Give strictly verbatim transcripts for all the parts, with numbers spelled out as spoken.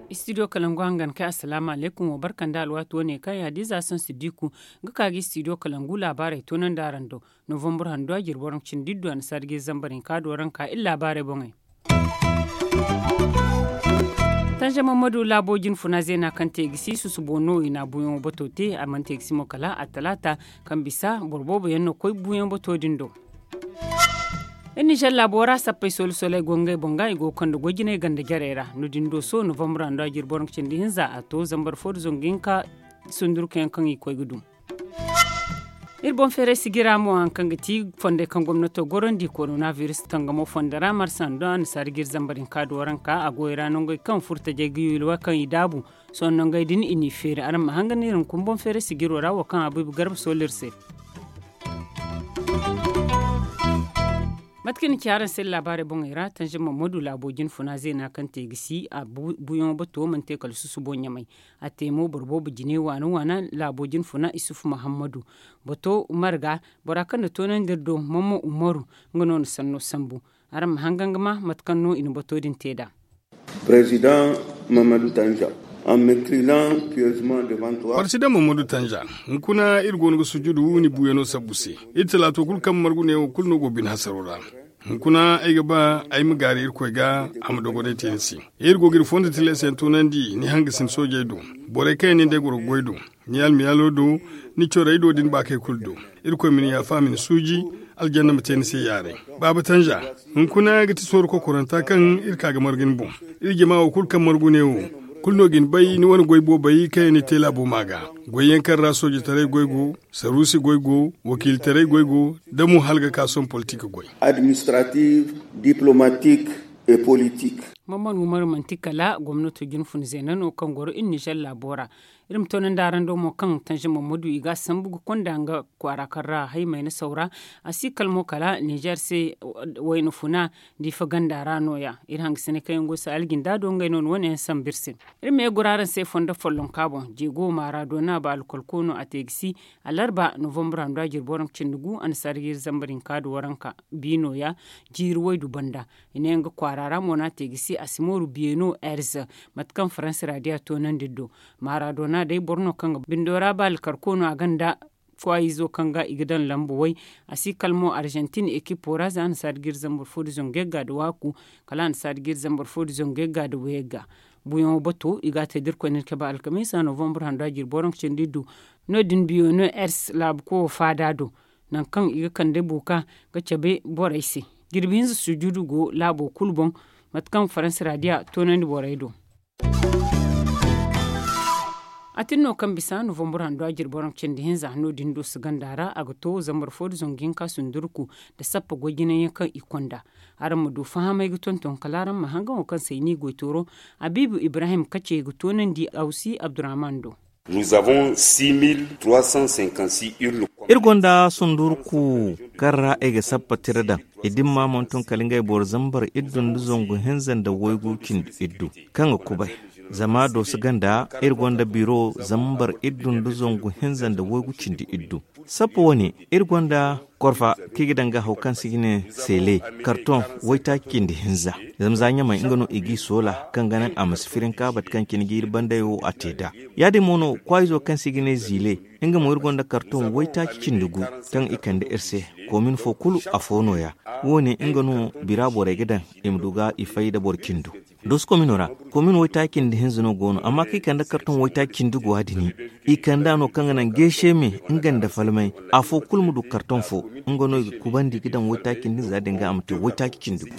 Istidiyo kalangu hangan kay, asalaamu alaykum. Wa barka nda alwaati wane kaŋ ya da ize a saŋ siddiku ga ka ga istidiyo kalangu laabaarey toonandi araŋ do. Novambur handu a jirbi waranka cindi iddu a na sarji zambar hinka do waranka iri laabaarey boŋey. Tanzama madu laabo jinfuna zeena kaŋ te ga si susubo no i na buuyaŋo bato te a mana te ga si mo kala a talaata kaŋ bisa boro boobo yaŋ no koy buuyaŋ bato din do. Iri ninzeer laabo ra sappey solo soley go ngey boŋ ga i go ga kande goy jinay ganda jarey ra no din do sohõ novambur handu a jirbi waranka cindi hinza a to zambar fo nda zangu hinka sundurkayaŋ kaŋ i koy ga dum. Iri boŋ feeray sijira mo hari kaŋ ga ti fondey kaŋ gomnato gorandi korona biris tangamo fondo ra marsa nda annasaari ga iri zambar hinka da waranka a goyo ra nongey kaŋ furtajey ga yulwa kaŋ i daabu. Sohõ nongey din i n'i feeri araŋ ma hangan iri hunkuna boŋ feeray sijiro ra wo kaŋ abuubu garba sohõ iri se. Mate kaŋ i na ci araŋ se laabaarey boŋey ra tanzam mammadu laabo jinfuna zeena kaŋ te ga si a buuyaŋo bato mana te kala susubo ɲamay. A te mo boro boobo jine waana waana laabo jinfuna isufu mahammadu. Bato marga bora kaŋ na toonandi iri do mamman umaru, nga no na sanno sambu. Araŋ ma hangan ga ma mate kaŋ no i na bato din te nd'a. Président Mamadou Tanja, en m'inclinant pieusement devant toi. Président Mamadou Tanja, hunkuna iri go no ga sujudu ni buuyano sabbu se. Iri talaato kulu kaŋ margu neewo kulu no go bine hasaro ra. Hunkuna ay ga ba ay ma gaaru irkoy ga a ma dogonay te ni se. Iri go ga iri fondo tilas yaŋ toonandi ni hangasin soojey do, borey kaŋ yaŋ nin day goro ga goy do, ni almiyaalo do, ni corey do da ni baakey kulu do. Irkoy ma ni yaafa ma ni suuji. Aljanna ma te ni se yaaray. Baaba tanja, hunkuna ga ti sooru kokoranta kaŋ iri ka ga margu ni boŋ. Iri jama wo kulu kaŋ margu neewo, kulu no ga ni bay ni wane goy boobey kaŋ yaŋ ni te laabo ma ga. Goyyaŋ kaŋ ra soojetaray goy go, saruusi goy go, wakiilitaray goy go, da mo hala ga ka sohõ politik goy. Administrative, diplomatique et politique. Mamman umaru manti kala gomnato jinfun zeena no kaŋ goro iri nizer laabo ra. Iri ma toonandi araŋ do mo kaŋ tanzam mammadu i ga a sambu ga konda nga kwaara kaŋ ra haymay na sawra. A si kala mo kala nizer se wayna funa diifa ganda ra no- ya. Iri hangasinay kaŋ yaŋ go si aljinda do ngey no ni wane yaŋ sambu iri se. Iri ma ye goro araŋ se fondo follonka boŋ jeego maara do no a ba alkolko no a te ga si. Alarba novambur handu a jirbi waranka cindi gu annasaari ga iri zambar hinka da waranka. Biino ya jiiri waydu banda. I ne nga kwaara ra mo no a te ga si a si mooru biyeno erz. Mate kaŋ faransi ra di a toonandi iri do. Maradona day boro no kaŋ ga bindo ra ba alkarko no a ganda kwaayizo kaŋ ga i ga daŋ lambu way. A si kala mo arjantin ekipo ra za annasaari ga iri zambar fo da zangu yagga da waaku. Kala annasaari ga iri zambar fo da zangu yagga da wayagga. Buuyaŋo bato i ga a te da irkoy na iri cabe alkamiisa novambur handu a jirbi waranka cindi iddu. No- din biyeno ers laabu kowo faada do. Nangu kaŋ i ga kande buuka ga cabe borey se. Jirbi hinza sujudu go laabo kulu boŋ. Mate kaŋ faransi ra di a toonandi borey do. A tin no kaŋ bisa novambur handu a jirbi waranka cindi hinza no- din do si ganda ra a ga to zambar fo da zangu hinka sundurku da sappa goy jinay yaŋ kaŋ i konda. Araŋ ma du fahamay ga tonton kala araŋ ma hangaŋo kaŋ se i n'i goy tooro. Habiibu ibrahim kace ga toonandi awsi abdurrahman do. Nous avons six mille trois cent cinquante-six urnes. Iri gonda sundurku kaŋ ra i ga sappa tira daŋ. I dimma mana tun kala ngey boro zambar iddu nda zangu hinza nda waygu cindi iddu kaŋ ga kubay. Zama dooso ganda iri gonda biro zambar iddu nda zangu hinza nda waygu cindi iddu. Sappa wane iri gonda korfa kaŋ i ga daŋ ga haw kaŋ se i ga ne sele karton waytaaci cindi hinza. Zama za ɲamay nga no i g'i soola kaŋ ga naŋ a ma si firinka bate kaŋ cine jiiri banday wo a te nd'a. Ya- din mo no kwaayizo kaŋ se i ga ne ziile. Nga mo iri gonda karton waytaaci cindi gu kaŋ i kande iri se. Koomin fo kulu afo nooya. Wo- ne nga no bira borey ga daŋ i ma du ga i fay nda boro cindo. Dooso komino ra komin waytaaci cindi hinza no go no amma kaŋ i kande karton waytaaci cindi gu a- din i kand'a no kaŋ ga naŋ geese me nga nda falmay. Afo kulu ma du karton fo. Nga no i ga kubandi ga daŋ waytaaci cindi hinza din ga a ma te waytaaci cindi gu.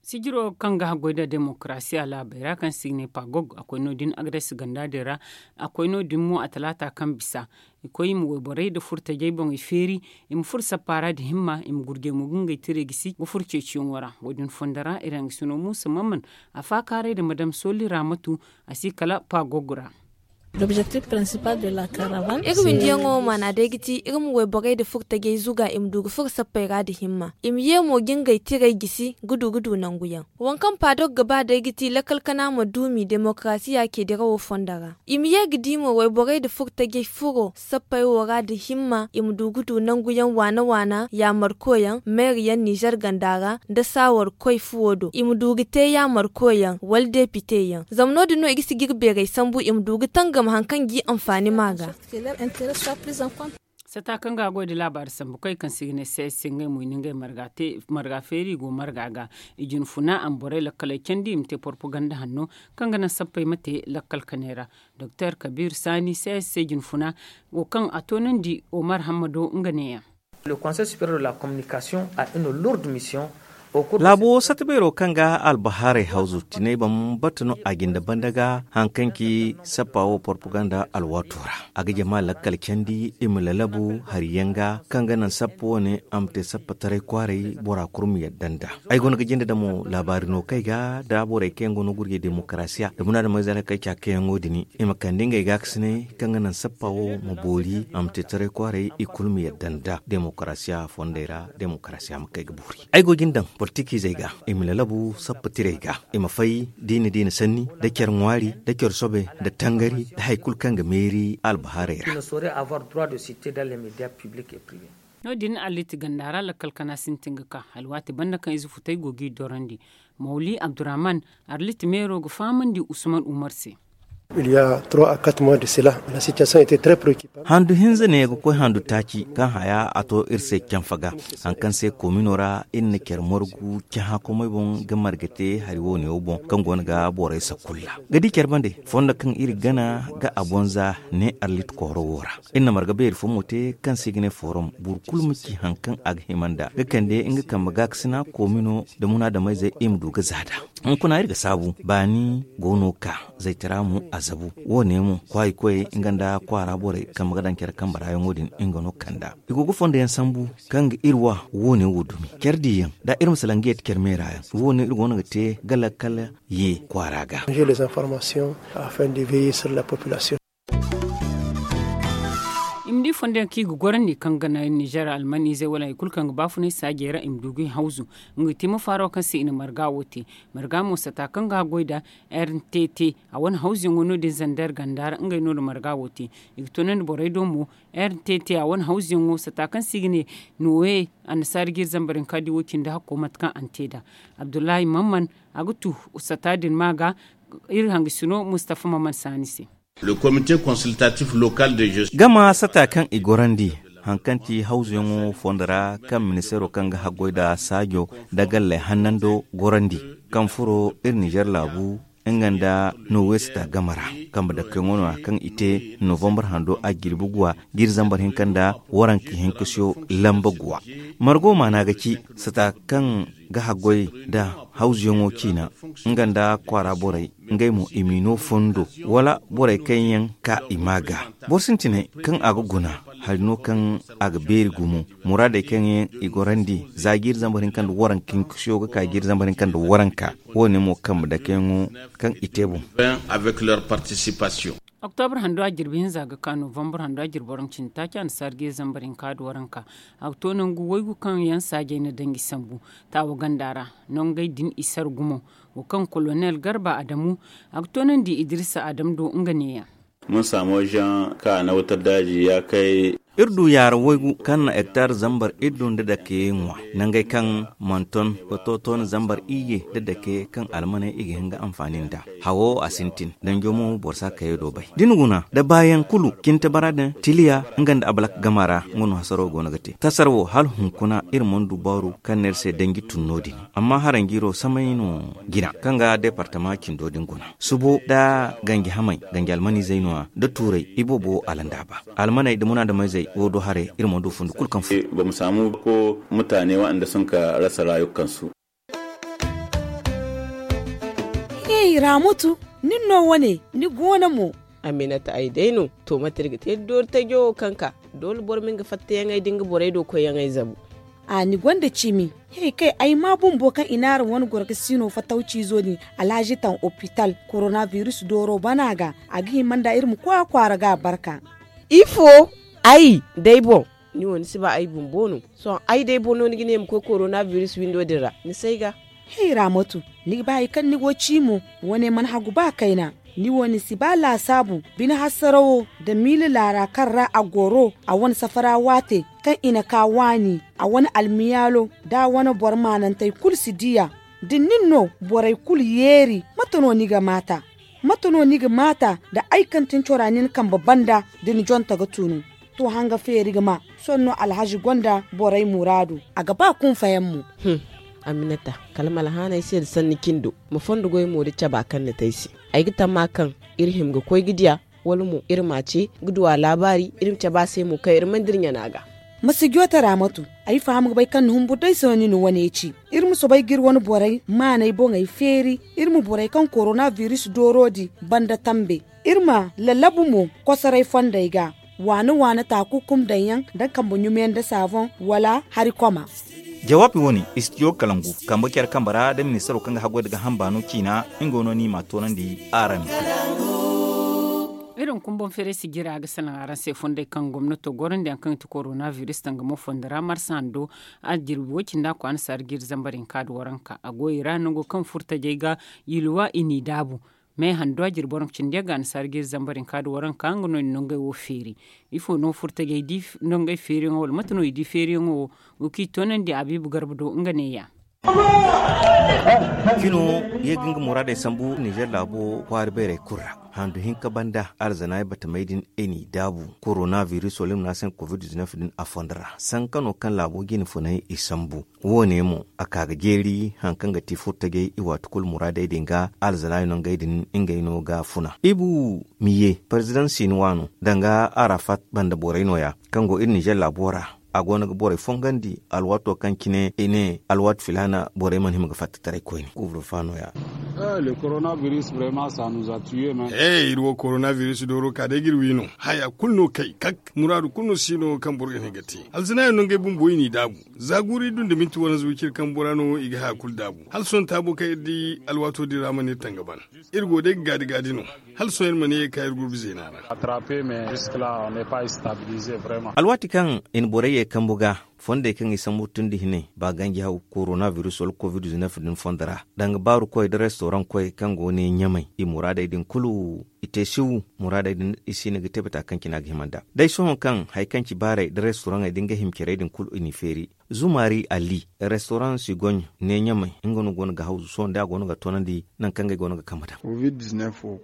Sijiro kaŋ ga haggoy nda demokarasiya laabey ra kaŋ se i ga ne pagog a koy no- din agades ganda din ra. A koy no- din mo a talaata kaŋ bisa i koy i ma wayborey nda furtajey boŋey feeri. I ma furo sappa ra nda himma i ma gurjey mo ga ngey tiray gisi ga furo ceeciyaŋo ra. Wo- din fondo ra iri hangasino muusa mamman a faakaaray nda madam soli raamatu. A si kala pagog ra. Iri windiyaŋo maana day ga ti iri ma wayborey nda furtajey zuga i ma du ga furo sappey ra nda himma, i ma ye mo ga ngey tirey gisi ga du ga du nanguyaŋ. Waŋ kaŋ paadok ga ba day ga ti lakkal kana ma duumi demokarasiya ce dirawo fondo ra. I ma ye ga di mo wayborey nda furtajey furo sappey wo ra nda himma i ma du ga du nanguyaŋ waana waana yaamarkoyaŋ meeriyaŋ nizer ganda ra nda saawarkoy fuwo do i ma du ga te yaamarkoyaŋ wala depiteyaŋ. Zama no- din no i ga si ga iri beerey sambu i ma du ga tangam hari kaŋ g'i anfaani maa ga. Sata kaŋ ga a goy nda laabaari sambu koy kaŋ se i ga ne c s c ngey mo i na ngey marga feeri i go marga ga. I jinfuna a ma borey lakkaley candi i ma te porpaganda hanno kaŋ ga naŋ sappey ma te lakkal kaney ra. Doktor kabiir saani c s c jinfuna wo kaŋ a toonandi omar hammado nga neeyaŋ. Laabo satta beero kaŋ ga albahaarey hawzu tinay bambata no a jinde banda ga hari kaŋ ci sappa wo porpaganda alwaato ra. A ga jama lakkal candi i ma lalabu hari yaŋ ga kaŋ ga naŋ sappa wane a ma te sappa taray kwaaray bora kulu ma yadda nd'a. Ay go no ga jinde damo laabaari no kaŋ ay ga da borey kaŋ yaŋ go no ga gurjay demokarasiya da munaadamey zalakey ca kaŋ yaŋo din i ma kande ngey gaakasinay kaŋ ga naŋ sappa wo ma boori a ma te taray kwaaray i kulu ma yadda nd'a demokarasiya fondey ra demokarasiya ma kay ga boori. Ay go ga ni daŋ politikiizey ga i ma lalabu sappa tirey ga i ma fay diina diina sanni nda care ŋwaari nda care soobay nda tangari nda hari kulu kaŋ ga meeri albahaarey ra. No- din alliiti ganda ra lakkal kana sintin ga ka alwaati banda kaŋ ize futay go g'i dorandi. Mawli abdurrahman arlit meero ga fahamandi usman umar se. Handu hinza ne ga koy handu taaci kaŋ haya a to iri se canfa ga hari kaŋ se komino ra iri na care margu cahãkomey boŋ ga marga te hari wo- ne wo boŋ kaŋ go no ga borey sakulla ga di care bande fondo kaŋ iri gana ga a boŋ za ne arlit kooro wo ra. Iri na marga beeri fo mo te kaŋ se i ga ne forum boro kulu ma ci hari kaŋ a ga hima nd'a ga kande nga kambe gaakasina komino nda munaadameyzey i ma du ga za nd'a. Hunkuna iri ga saabu baani go no ka zaytara mo a zabu wo- ne mo kwaayi koyey nga nda kwaara borey kambe ga daŋ care kambe raayaŋo din nga no kand'a. I go ga fondo yaŋ sambu kaŋ ga iri wa wo- ne wo dumi care diyaŋ da iri ma salaŋ ga yeeti care meera yaŋ wo- ne iri go no ga te ga lakkal ye kwaara ga. I ma di fondo yaŋ kaŋ i ga gorandi kaŋ ga naŋ nizer almaniizey wala hari kulu kaŋ ga baafunay saajey ra i ma du ga i hawzu. Nga ga te mafaaro kaŋ se i na marga wo te marga mo sata kaŋ ga a goy nda r n t t a wane hawzuyaŋo no- din zander ganda ra ngey no- din marga wo te. I ga toonandi borey do mo r n t t a wane hawzuyaŋo sata kaŋ se i ga ne nooye annasaara ga iri zambar hinka di wo- cindi hakko mate kaŋ a na te nd'a. Abdullahi mamman a ga tu sata din ma ga iri hangasino mustafa mamman saani se. Gama sata kaŋ i gorandi hari kaŋ ti hawzuyaŋo fondo ra kaŋ ministeero kaŋ ga haggoy nda saajo nda galley hannando gorandi kaŋ furo iri nizer laabu nga nda noowe sata game ra kambe dakkoyaŋo no- ya kaŋ i te novambar hando a jirbi guwa ga iri zambar hinka nda waranka hinka siyo lamba guwa. Margo maana ga ci sata kaŋ ga haggoy nda hawzuyaŋo ciina nga nda kwaara borey ngey mo i m'i no fondo wala borey kaŋ yaŋ ka i ma ga boro sintinay kaŋ a ga guna hari no kaŋ a ga beeri gumo muraadey kaŋ yaŋ i gorandi za jiiri zambar hinka nda waranka hinka siyo ga ka jiiri zambar hinka nda waranka wo- ne mo kambe dakeyaŋo kaŋ i te boŋ. Oktobra hando a jirbi hinza ga ka novambar hando a jirbi waranka cindi taaci annasaara ga iri zambar hinka nda waranka. A ga to nangu waygu kaŋ yaŋ saajey na danji sambu taawa ganda ra nongey din i sara gumo wo kaŋ kolonel garba adamu a ga toonandi idirisa adamu do nga neeyaŋ. Iri du yaara waygu kaŋ na hektar zambar iddu nda dake ŋwa nangey kaŋ mana ton ga to toona zambar iyye nda dake kaŋ almaney i ga hin ga anfaani nd'a. Hawo a sintin danjo mo boro si a kayey do bay da ni guna da baayaŋ kulu cinte bara din tiliya nga nda abalak gama ra nga no hasaro go no ga te tasar wo hala hunkuna iri mana du baaru kaŋ no iri se danji tun no- din. Amma haranjiiro samay no jina kaŋ ga departama cindo din guna subo nda ganji hamey ganji almaniizey no- ya nda tuurey iboobo alandaaba almaney nda munaadameyzey wo do haray iri mana du fundi kulu kaŋ fo. Gomsaamu ko mutaane waɗanda sun ka rasa rayukansu. Hey ramutu, nin no wane ni goono mo? Aminata ay day no. To mate iri ga te doori tajo wo kaŋ ka doole boro ma nga fattayaŋey da nga borey do koyyaŋey zabu. A ni gonda cimi. He kay ay ma bumbo kaŋ i naara wane goro ga siino fatawciizo din alhazi taŋ opital korona biris dooro bana ga. A ga hima nda iri ma koy a kwaara ga barka. Ifo? Ay day boŋ. Ni wo ni si ba ay bumbo no? Sohõ ay day boŋ no ni ga ne ma koy korona biris windo din ra ni si ay ga. Hey raamatu, ni ga ba hari kaŋ ni go ci mo? Wane mana hagu ba kayna. Ni wo ni si ba laasaabu bine hasarawo nda miila laara kaŋ ra a goro a wane safara waate kaŋ i na ka waani a wane almiyaalo da a wane boro maanantey kulu si di a. Da nin no borey kulu yeeri mate no ni ga maata? Mate no ni ga maata nda ay kaŋ tin cora nin kambe banda da ni jonta ga tunu? To hanga feeri ga ma sohõ no alhazi gonda borey muraadu. A ga ba kunfayaŋ mo. Aminata, kala ma alhaanay se nda sanni cindo ma fondo goy mo da caba kaŋ ni te ay se. Ay ga tamma kaŋ iri hima ga koy ga diya wala mo iri ma a ce ga du a laabaari iri ma cabe a se mo kaŋ iri mana dira ɲana ga. Ma si joote raamatu. Ay faham ga bay kaŋ ni humbur day se no ni na wane ci. Iri ma soobay ga iri wane borey maaney boŋey feeri. Iri ma borey kaŋ korona biris dooro di banda tambe. Iri ma lallabu mo kosoray fondey ga waana waana taakukum daŋ yaŋ da kambe ɲumeyaŋ nda saaboŋ wala hari koma. Jawaabi wane istidiyo kalangu kambe care kambe ra da ministaro kaŋ ga haggoy nda gaaham baano ciina. Nga no ni m'a toonandi araŋ. Iri hunkuna boŋ feeray si jira ga salaŋ araŋ se fondey kaŋ gomnato gorandi yaŋ kaŋ ga ti korona biris danga mo fondo ra marsa hando a jirbi wo- cindi a kwaana saara ga iri zambar hinka nda waranka a go i ra nango kaŋ furtajey ga yiluwa i n'i daabu. Me hando a jirbi waranka cindi yaŋ ga annasaara ga iri zambar hinka nda waranka nga no i na nongey wo feeri. Ifo no furtajey di nongey feeriyaŋo wala mate no i di feeriyaŋo wo? Go kaŋ i toonandi abiibu garba do nga neeya. Cino ye ga nga muraadey sambu nizer laabo kwaara bayray kulu ra. Handu hinka banda alzanaay batamey din i n'i daabu korona biris wala i ma ne a se covid-19 din a fondo ra sankano kaŋ laabo jine funay i sambu. Wo- ne mo a ka ga jeeri hari kaŋ ga ti furtajey i waati kulu muraadey din ga alzanaay no ngey din ngey no ga funa ibu miye parezidaŋ sinuwa no danga arafat banda borey no- ya kaŋ go iri nizer laabo ra. A go no ga borey fongandi alwaato kaŋ cine i ne alwaati filaana borey mana hima ga fatta taray koyne kuubre fa no- ya. Iri wo korona biris dooro ka day ga iri wi no. Haya kulu no kay kak muraadu kulu no si no kaŋ boro ga ne ga te alzanaay no ngey bumbo i n'i daabu. Za guuru iri du nda minti waranza wiciri kambo ra no i ga haya kulu daabu hala sohõ taabo kaŋ iri di alwaato din ra mana iri tanga ban. Iri go day ga gaadi gaadi no hala sohõ iri mana ye ga ka iri gurbi zeena ra. Alwaati kaŋ i na borey ye kambu ga fondey kaŋ i sambu tun nda hinay ba ganji haw korona biris wala covid-19 din fondo ra danga baaru koy nda restoraŋ koy kaŋ go ne ɲamay i muraadey din kulu i te siw. Muraadey din i si hin ga te bata kaŋ cine a ga hima nd'a day sohõ kaŋ hari kaŋ ci baarey nda restoraŋey nda nga hima carey din kulu i n'i feeri. Zumaari ali restoraŋ sigoɲ ne ɲamay nga no go no ga hawzu sohõ day a go no ga toonandi nangu kaŋ ngey go no ga kambe daŋ.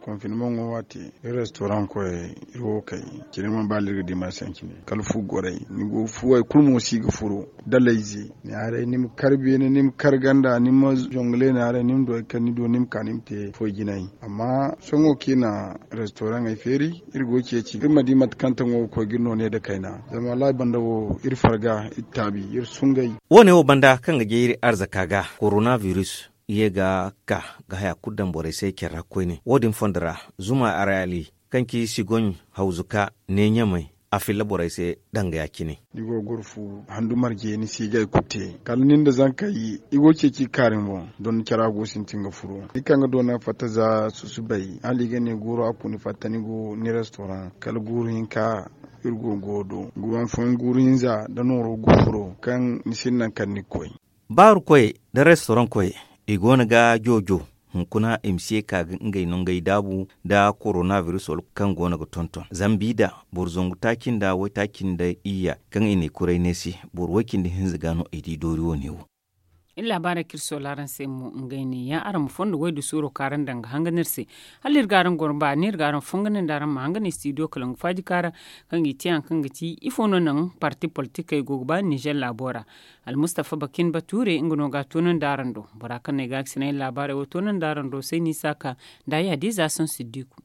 Konfinmaŋo waati iri restoraŋ koyey iri wo kay cine mana ba iri ga di marse yaŋ cine kala fu gorey ni go fuwey kulu mo si ga furo. Dalayze ni haray ni ma kar beene ni ma kar ganda ni ma zongale ni haray ni ma du hari kaŋ ni du ni ma ka ni ma te foy jinay. Amma sohõ kaŋ i na restoraŋey feeri iri go ga ceeci iri ma di mate kaŋ taŋo ga koy ga iri no ne nda kayna. Zama wallaahi banda wo iri farga iri taabi iri sungay. Wo- ne wo banda kaŋ ga jay iri arzaka ga korona biris ye ga ka ga haya kulu daŋ borey se care ra koyne wo- din fondo ra zuma araali kaŋ ci sigoɲ hawzu ka ne ɲamay a filla borey se danga ya- cine. Ni go ga goro fu handu marje ni si ga hari kulu te kala nin da zankey i go ga ceeci ga kaari ni boŋ. Don cara go sintin ga furo ni kaŋ ga doona fatta za susubay hala i ga ne guuru a ku ni fatta ni go ni restoraŋ kala guuru hinka. Iri go ga goro do guuru hanfooyaŋ guuru hinza nda nooro ga furo kaŋ ni sinda nangu kaŋ ni ga koy. Baaru koyey nda restoraŋ koyey i go no ga joojo hunkuna i ma si ye ka ga ngey nongey daabu nda korona biris wala kaŋ go no ga tonton zambi da boro zangu taaci nda waytaaci nda iyya kaŋ i na i kuray neesi. Boro way-cindi hinza ga no i di doori wo- ne wo. Iri laabaarey kaŋ iri soola araŋ se mo ngey ne ya araŋ ma fondo waydu suuro kaŋ araŋ daŋ ga hangan iri se. Hala iri ga araŋ goro baani iri ga araŋ fonganandi araŋ ma hangan istidiyo kalangu faaji kaara kaŋ ga i te hari kaŋ ga ti ifo no naŋ parti politikey go ga ba ninzeer laabo ra. Almustafa bakin bature nga no ga a toonandi araŋ do bora kaŋ no ay ga a ga sinay laabaarey wo toonandi araŋ do sayni saaka nda ay hadiza saŋ siddiku.